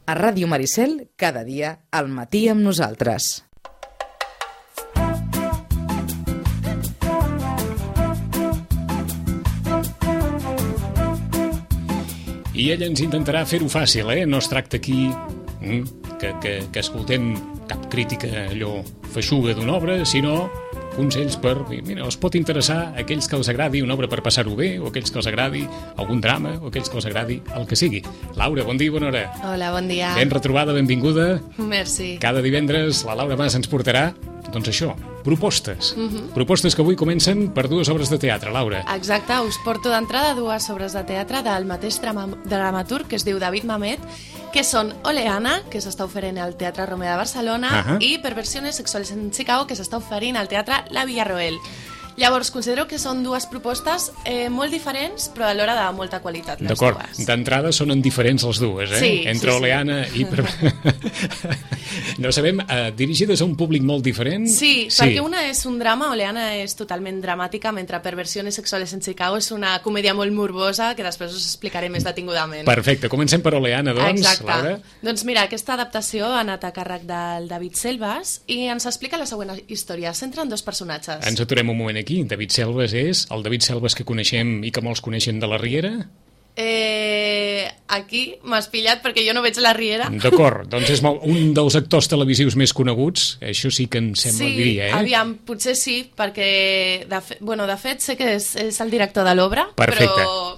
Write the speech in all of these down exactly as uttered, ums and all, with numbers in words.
A Ràdio Maricel, cada dia, al matí amb nosaltres. I ella ens intentarà fer-ho fàcil, eh? No es tracta aquí mm, que, que, que escoltem cap crítica allò feixuga d'una obra, sinó consells per... Mira, els pot interessar a aquells que els agradi una obra per passar-ho bé, o aquells que els agradi algun drama, o aquells que els agradi el que sigui. Laura, bon dia i bona hora. Hola, bon dia. Ben retrobada, benvinguda. Merci. Cada divendres la Laura Mas ens portarà, doncs això, propostes. Uh-huh. Propostes que avui comencen per dues obres de teatre, Laura. Exacte, us porto d'entrada dues obres de teatre del mateix drama, dramaturg que es diu David Mamet, que són Oleana, que s'està oferint al Teatre Romea de Barcelona, uh-huh. i Perversiones Sexuales en Chicago, que s'està oferint al Teatre La Villarroel. Llavors, considero que són dues propostes eh, molt diferents, però alhora de molta qualitat, les D'acord, dues. d'entrada són diferents les dues, eh? Sí, Entre sí, Oleana sí. i... Per... no sabem, eh, dirigides a un públic molt diferent? Sí, sí, perquè una és un drama, Oleana és totalment dramàtica, mentre Perversiones Sexuales en Chicago és una comèdia molt morbosa, que després us explicaré més detingudament. Perfecte, comencem per Oleana, doncs, Exacte. Laura. Doncs mira, aquesta adaptació ha anat a càrrec del David Selves i ens explica la següent història. S'entra en dos personatges. Ens aturem un moment aquí. David Selves és el David Selves que coneixem i que molts coneixen de la Riera? Eh, aquí m'has pillat perquè jo no veig la Riera. D'acord, doncs és molt, un dels actors televisius més coneguts, això sí que em sembla, sí, diria, eh? aviam, potser sí, perquè de, fe, bueno, de fet sé que és, és el director de l'obra, però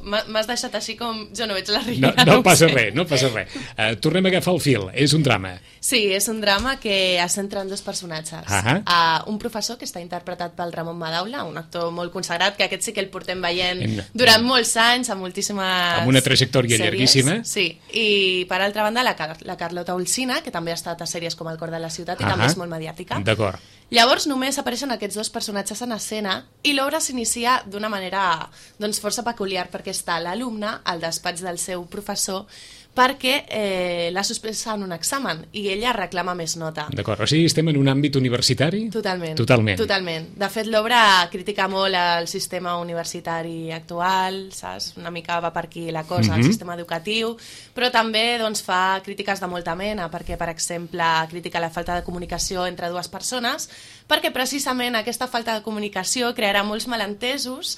m'has deixat així com jo no veig la Riera. No, no, no passa sé. res, no passa res. Uh, tornem a agafar el fil, és un drama. Sí, és un drama que es centra en dos personatges. Uh-huh. Uh, un professor que està interpretat pel Ramon Madaula, un actor molt consagrat, que aquest sí que el portem veient en, durant molts anys, amb moltíssimes amb una trajectòria sèries. Llarguíssima. Sí, i per altra banda la, Car la Carlota Olsina, que també ha estat a sèries com El cor de la ciutat i uh-huh. també és molt mediàtica. D'acord. Llavors només apareixen aquests dos personatges en escena i l'obra s'inicia d'una manera doncs, força peculiar, perquè està l'alumne al despatx del seu professor perquè eh, l'ha suspès en un examen i ella reclama més nota. D'acord, o sigui, estem en un àmbit universitari? Totalment. Totalment. Totalment. De fet, l'obra critica molt el sistema universitari actual, saps? Una mica va per aquí la cosa, uh-huh. el sistema educatiu, però també doncs, fa crítiques de molta mena, perquè, per exemple, critica la falta de comunicació entre dues persones, perquè precisament aquesta falta de comunicació crearà molts malentesos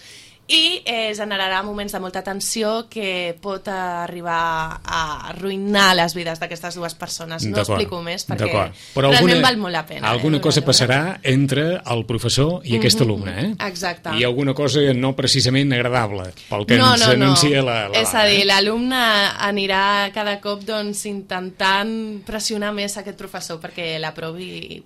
i eh, generarà moments de molta tensió que pot arribar a arruïnar les vides d'aquestes dues persones. No explico més perquè però realment alguna, val molt la pena. Alguna eh, cosa passarà entre el professor i aquest mm-hmm. alumne, eh? Exacte. I alguna cosa no precisament agradable, pel que no, ens no, anuncia no. la, la És a dir, l'alumne anirà cada cop doncs, intentant pressionar més aquest professor perquè l'aprovi.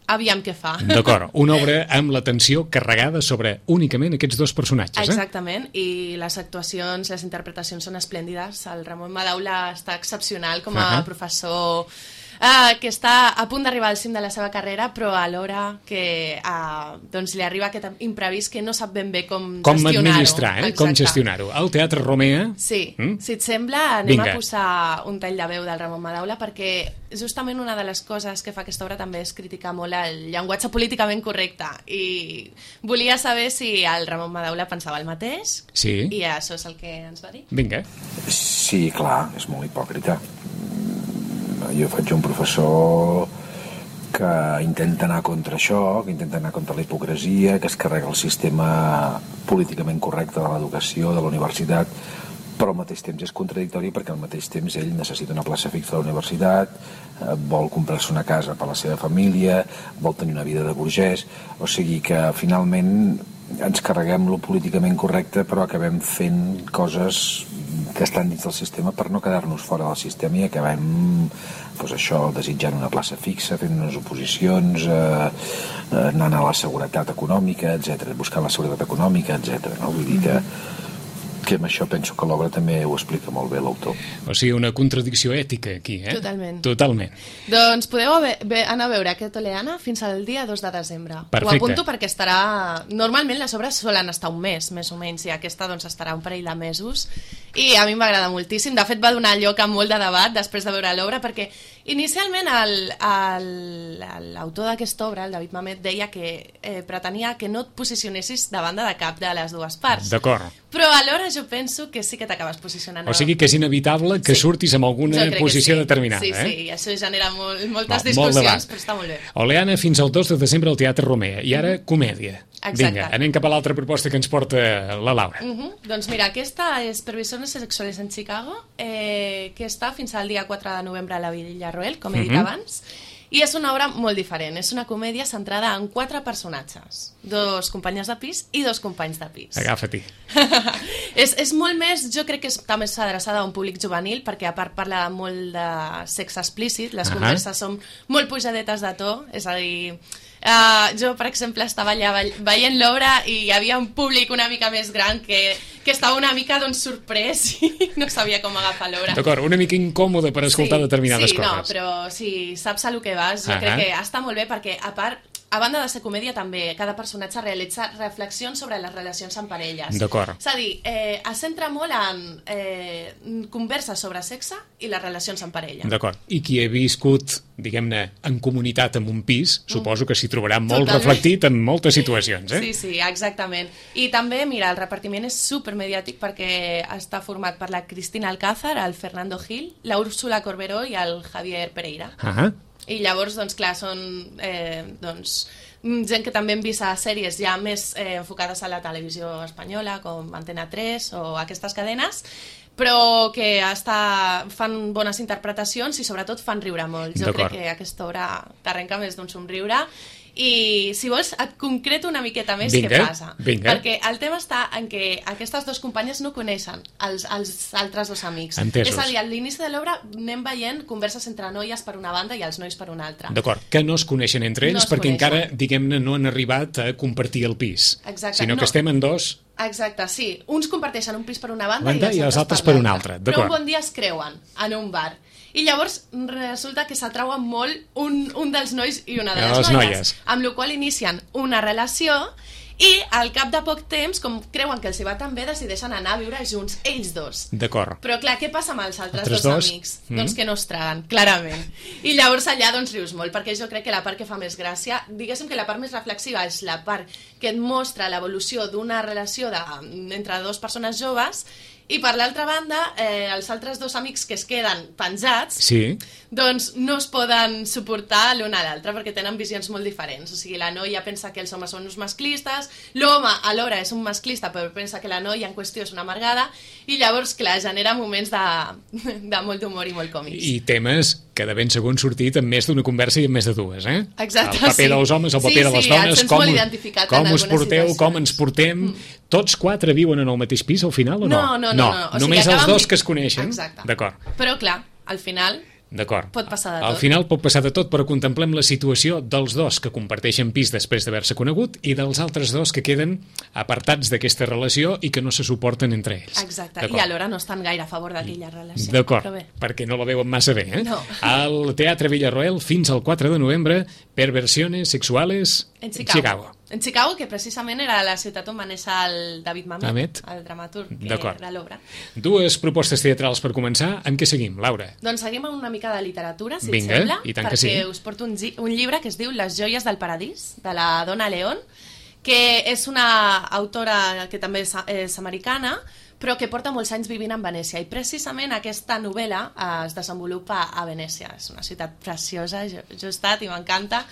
Aviam què fa. D'acord, una obra amb la tensió carregada sobre únicament aquests dos personatges. Eh? Exactament, i les actuacions, les interpretacions són esplèndides. El Ramon Madaula està excepcional com a uh-huh. professor uh, que està a punt d'arribar al cim de la seva carrera, però alhora que uh, doncs li arriba aquest imprevist que no sap ben bé com, com gestionar-ho. Com administrar, eh? Com gestionar-ho. Al Teatre Romea... Sí, mm? si et sembla, anem Vinga. a posar un tall de veu del Ramon Madaula perquè justament una de les coses que fa aquesta obra també és criticar molt el llenguatge políticament correcte i volia saber si el Ramon Madaula pensava el mateix sí. i això és el que ens va dir. Vinga. Sí, clar, és molt hipòcrita. Jo faig un professor que intenta anar contra això, que intenta anar contra la hipocresia, que es carrega el sistema políticament correcte de l'educació, de la universitat, però al mateix temps és contradictori perquè al mateix temps ell necessita una plaça fixa a la universitat, eh, vol comprar-se una casa per a la seva família, vol tenir una vida de burgès, o sigui que finalment ens carreguem lo políticament correcte però acabem fent coses que estan dins del sistema per no quedar-nos fora del sistema i acabem doncs això, desitjant una plaça fixa, fent unes oposicions, eh, anant a la seguretat econòmica, etcètera, buscant la seguretat econòmica, etcètera. No? Vull dir que que amb això penso que l'obra també ho explica molt bé l'autor. O sigui, una contradicció ètica aquí, eh? Totalment. Totalment. Doncs podeu anar a veure aquest Oleana fins al dia dos de desembre. Perfecte. Ho apunto perquè estarà... Normalment les obres solen estar un mes, més o menys, i aquesta doncs estarà un parell de mesos. I a mi m'agrada moltíssim. De fet, va donar lloc a molt de debat després de veure l'obra, perquè inicialment l'autor d'aquesta obra, el David Mamet, deia que eh, pretenia que no et posicionessis davant de cap de les dues parts. D'acord. però alhora jo penso que sí que t'acabes posicionant. O sigui que és inevitable que sí. surtis amb alguna posició sí. determinada. Sí, eh? sí, i això genera molt, moltes molt, discussions, molt però està molt bé. Oleana, fins al dos de desembre al Teatre Romea, i ara comèdia. Exacte. Vinga, anem cap a l'altra proposta que ens porta la Laura. Uh -huh. Doncs mira, aquesta és Perversiones sexuales en Chicago, eh, que està fins al dia quatre de novembre a la Villarroel, com he dit uh -huh. abans, i és una obra molt diferent. És una comèdia centrada en quatre personatges, dos companyes de pis i dos companys de pis. Agafa-t'hi. és, és molt més, jo crec que és també adreçada a un públic juvenil, perquè a part parla molt de sexe explícit, les uh -huh. converses són molt pujadetes de to, és a dir... Uh, jo, per exemple, estava allà veient l'obra i hi havia un públic una mica més gran que, que estava una mica doncs, sorprès i no sabia com agafar l'obra. D'acord, una mica incòmode per escoltar sí, determinades sí, coses. Sí, no, però si saps a lo que vas, jo uh -huh. crec que està molt bé perquè, a part, a banda de ser comèdia, també cada personatge realitza reflexions sobre les relacions amb parelles. D'acord. És a dir, eh, es centra molt en eh, converses sobre sexe i les relacions amb parella. D'acord. I qui ha viscut, diguem-ne, en comunitat en un pis, mm. suposo que s'hi trobarà molt Totalment. reflectit en moltes situacions, eh? Sí, sí, exactament. I també, mira, el repartiment és supermediàtic perquè està format per la Cristina Alcázar, el Fernando Gil, la Úrsula Corberó i el Javier Pereira. Ahà. I llavors, doncs clar, són eh, doncs, gent que també hem vist a sèries ja més eh, enfocades a la televisió espanyola, com Antena tres o aquestes cadenes, però que està, fan bones interpretacions i sobretot fan riure molt. Jo crec que aquesta obra t'arrenca més d'un somriure. I si vols et concreto una miqueta més vinga, què passa, vinga. perquè el tema està en que aquestes dues companyes no coneixen els, els altres dos amics. Entesos. És a dir, a l'inici de l'obra anem veient converses entre noies per una banda i els nois per una altra. D'acord, que no es coneixen entre ells no es perquè coneixen. encara, diguem-ne, no han arribat a compartir el pis. Exacte. Sinó no. que estem en dos... Exacte, sí. Uns comparteixen un pis per una banda, banda i, i els altres per una altra. Però un bon dia es creuen en un bar. I llavors resulta que s'atrauen molt un, un dels nois i una de les, les noies, noies, amb la qual inicien una relació i al cap de poc temps, com creuen que els hi va tan bé, decideixen anar a viure junts, ells dos. D'acord. Però clar, què passa amb els altres, altres dos, dos amics? Mm. Doncs que no es traguen, clarament. I llavors allà doncs rius molt, perquè jo crec que la part que fa més gràcia, diguéssim que la part més reflexiva és la part que et mostra l'evolució d'una relació de, entre dues persones joves. I per l'altra banda, eh, els altres dos amics que es queden penjats, sí. doncs no es poden suportar l'un a l'altre perquè tenen visions molt diferents. O sigui, la noia pensa que els homes són uns masclistes, l'home alhora és un masclista però pensa que la noia en qüestió és una amargada, i llavors, clar, genera moments de, de molt d'humor i molt còmics. I temes que de ben segur han sortit en més d'una conversa i en més de dues, eh? Exacte, el paper sí. dels homes, el paper sí, de les sí, dones, com, com us porteu, situacions. com ens portem... Mm. Tots quatre viuen en el mateix pis al final o no? No, no, no. no, no. O Només sigui, els acaben... dos que es coneixen? Exacte. D'acord. Però clar, al final... D'acord. Pot passar de tot. Al final pot passar de tot, però contemplem la situació dels dos que comparteixen pis després d'haver-se conegut i dels altres dos que queden apartats d'aquesta relació i que no se suporten entre ells. Exacte, i alhora no estan gaire a favor d'aquella relació. D'acord, perquè no la veuen massa bé, eh? No. Al Teatre Villarroel fins al quatre de novembre, Perversiones sexuales en Chicago. En Chicago. En Chicago, que precisament era la ciutat on va néixer el David Mamet, Mamet. el dramaturg que era l'obra. Dues propostes teatrals per començar. En què seguim, Laura? Doncs seguim amb una mica de literatura, si Vinga, et sembla, i tant perquè que sí. us porto un, un llibre que es diu Les joies del paradís, de la Donna León, que és una autora que també és, és americana, però que porta molts anys vivint en Venècia, i precisament aquesta novel·la eh, es desenvolupa a Venècia. És una ciutat preciosa, jo, jo he estat i m'encanta.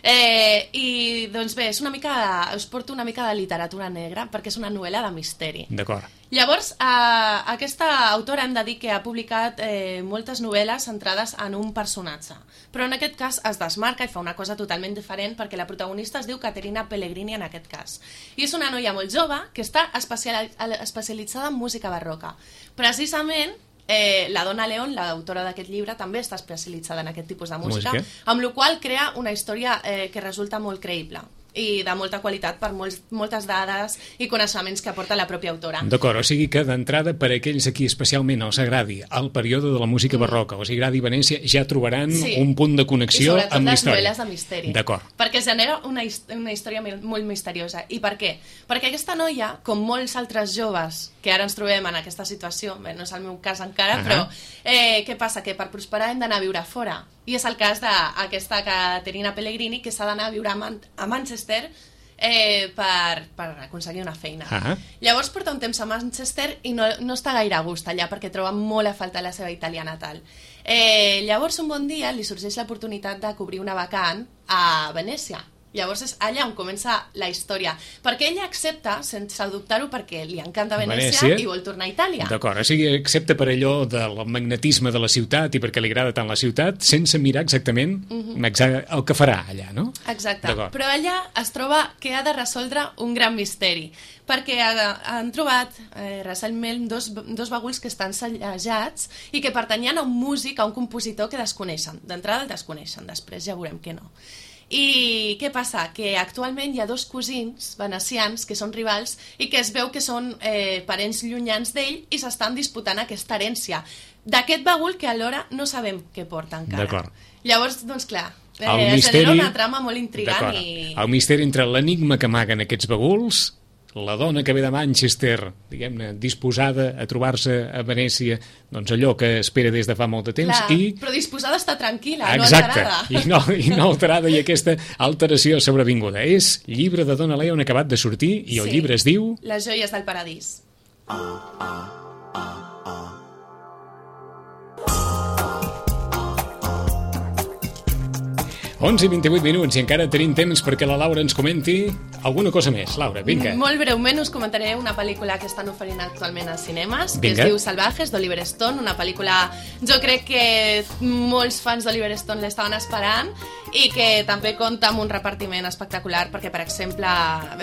Eh, I doncs bé, és una mica, us porto una mica de literatura negra, perquè és una novel·la de misteri. D'acord. Llavors, eh, aquesta autora hem de dir que ha publicat eh, moltes novel·les centrades en un personatge, però en aquest cas es desmarca i fa una cosa totalment diferent, perquè la protagonista es diu Caterina Pellegrini en aquest cas. I és una noia molt jove que està especial, especialitzada en música barroca. Precisament, Eh, la Donna León, l'autora d'aquest llibre, també està especialitzada en aquest tipus de música, música. amb la qual crea una història eh, que resulta molt creïble i de molta qualitat per molts, moltes dades i coneixements que aporta la pròpia autora. D'acord, o sigui que d'entrada per a aquells aquí especialment els agradi el període de la música barroca, o sigui, agradi Venècia, ja trobaran sí. un punt de connexió amb la història. I sobretot les novel·les de misteri. D'acord. Perquè genera una, una història molt misteriosa. I per què? Perquè aquesta noia, com molts altres joves que ara ens trobem en aquesta situació, bé, no és el meu cas encara, uh -huh. però eh, què passa? Que per prosperar hem d'anar a viure fora. I és el cas d'aquesta Caterina Pellegrini, que s'ha d'anar a viure a, Man a Manchester eh, per, per aconseguir una feina. Ah. Llavors porta un temps a Manchester i no, no està gaire a gust allà perquè troba molt a falta la seva Itàlia natal. Eh, llavors un bon dia li sorgeix l'oportunitat de cobrir una vacant a Venècia. Llavors és allà on comença la història, perquè ella accepta, sense dubtar-ho, perquè li encanta Venècia, Venècia i vol tornar a Itàlia. D'acord, o sigui, accepta per allò del magnetisme de la ciutat i perquè li agrada tant la ciutat, sense mirar exactament uh-huh. el que farà allà, no? Exacte, però allà es troba que ha de resoldre un gran misteri, perquè han trobat eh, recentment dos, dos baguls que estan sellejats i que pertanyien a un músic, a un compositor que desconeixen. D'entrada el desconeixen, després ja veurem que no. I què passa? Que actualment hi ha dos cosins venecians que són rivals i que es veu que són eh, parents llunyans d'ell i s'estan disputant aquesta herència d'aquest bagul que alhora no sabem què porta encara. Llavors, doncs clar, eh, es genera una trama molt intrigant. I... El misteri entre l'enigma que amaguen aquests baguls, la dona que ve de Manchester, diguem-ne, disposada a trobar-se a Venècia, doncs allò que espera des de fa molt de temps. Clar, i... però disposada a estar tranquil·la, exacte, no alterada. I no, i no alterada, i aquesta alteració sobrevinguda. És llibre de Donna Leon acabat de sortir, i el sí. llibre es diu... Les joies del paradís. onze i vint-i-vuit minuts i encara tenim temps perquè la Laura ens comenti alguna cosa més. Laura, vinga. Molt breument us comentaré una pel·lícula que estan oferint actualment als cinemes, que vinga. Es diu Salvajes, d'Oliver Stone, una pel·lícula, jo crec que molts fans d'Oliver Stone l'estaven esperant i que també compta amb un repartiment espectacular perquè, per exemple,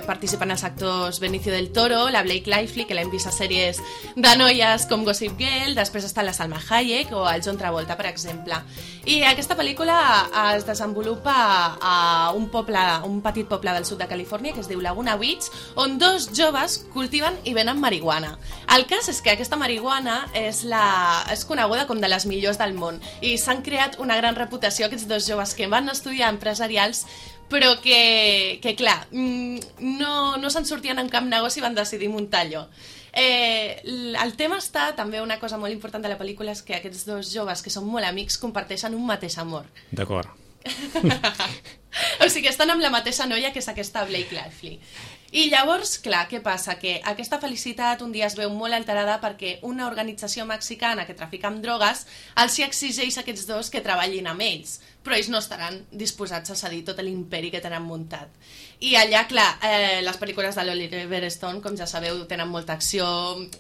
participen els actors Benicio del Toro, la Blake Lively, que l'hem vist a sèries de noies com Gossip Girl, després està la Salma Hayek o el John Travolta, per exemple. I aquesta pel·lícula es desenvolupa a un poble, un petit poble del sud de Califòrnia que es diu Laguna Beach, on dos joves cultiven i venen marihuana. El cas és que aquesta marihuana és, la, és coneguda com de les millors del món i s'han creat una gran reputació aquests dos joves que van estudiar empresarials però que, que clar, no, no se'n sortien en cap negoci i van decidir muntar allò. Eh, el tema està, també una cosa molt important de la pel·lícula és que aquests dos joves que són molt amics comparteixen un mateix amor. D'acord. O sigui, estan amb la mateixa noia que és aquesta Blake Lively. I llavors, clar, què passa? Que aquesta felicitat un dia es veu molt alterada perquè una organització mexicana que trafica amb drogues els hi exigeix a aquests dos que treballin amb ells, però ells no estaran disposats a cedir tot l'imperi que tenen muntat. I allà, clar, eh, les pel·lícules de l'Oliver Stone, com ja sabeu, tenen molta acció,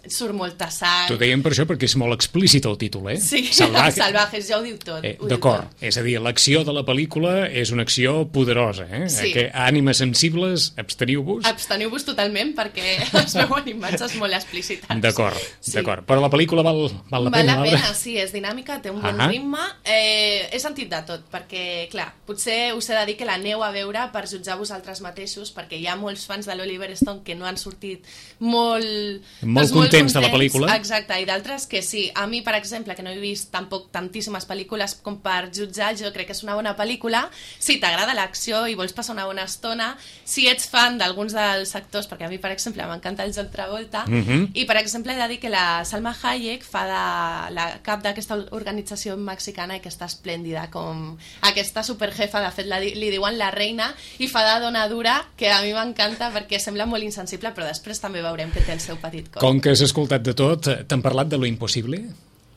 surt molta sang... T'ho dèiem per això, perquè és molt explícit el títol, eh? Sí, Salvaje. Salvajes, ja ho diu tot. Eh, D'acord, és a dir, l'acció de la pel·lícula és una acció poderosa, eh? Sí. Que ànimes sensibles, absteniu-vos. Absteniu-vos totalment perquè es veuen imatges molt explícites. D'acord, sí. d'acord. Però la pel·lícula val, val la val pena, la Laura? pena, sí, és dinàmica, té un bon Ahà. ritme. Eh, he sentit de tot, perquè, clar, potser us he de dir que l'aneu a veure per jutjar vosaltres mateixos, perquè hi ha molts fans de l'Oliver Stone que no han sortit molt... Molt doncs, contents de la pel·lícula. Exacte, i d'altres que sí. A mi, per exemple, que no he vist tampoc tantíssimes pel·lícules com per jutjar, jo crec que és una bona pel·lícula. Si t'agrada l'acció i vols passar una bona estona, si ets fan d'alguns dels actors, perquè a mi, per exemple, m'encanta el John Travolta, uh -huh. i, per exemple, he de dir que la Salma Hayek fa de la cap d'aquesta organització mexicana i que està esplèndida, com aquesta superjefa, de fet, la, li diuen la reina, i fa de dona dura, que a mi m'encanta perquè sembla molt insensible, però després també veurem que té el seu petit cor. Com que has escoltat de tot, t'han parlat de lo impossible?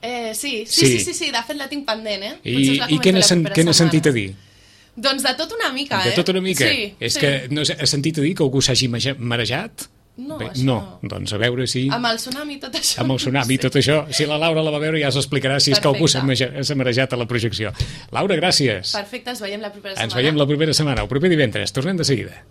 Eh, sí, sí, sí, sí, sí, de fet la tinc pendent, eh? I, i què n'has sentit a dir? Doncs de tot una mica, eh? De tot una mica? Sí, És sí. que no has sentit a dir que algú s'hagi marejat? No, Bé, això no. no. Doncs a veure si... Amb el tsunami tot això. Amb el tsunami sí. tot això. Si la Laura la va veure ja s'explicarà si és que algú s'ha marejat a la projecció. Laura, gràcies. Perfecte, ens veiem la propera setmana. Ens veiem la propera setmana, el proper divendres. Tornem de seguida.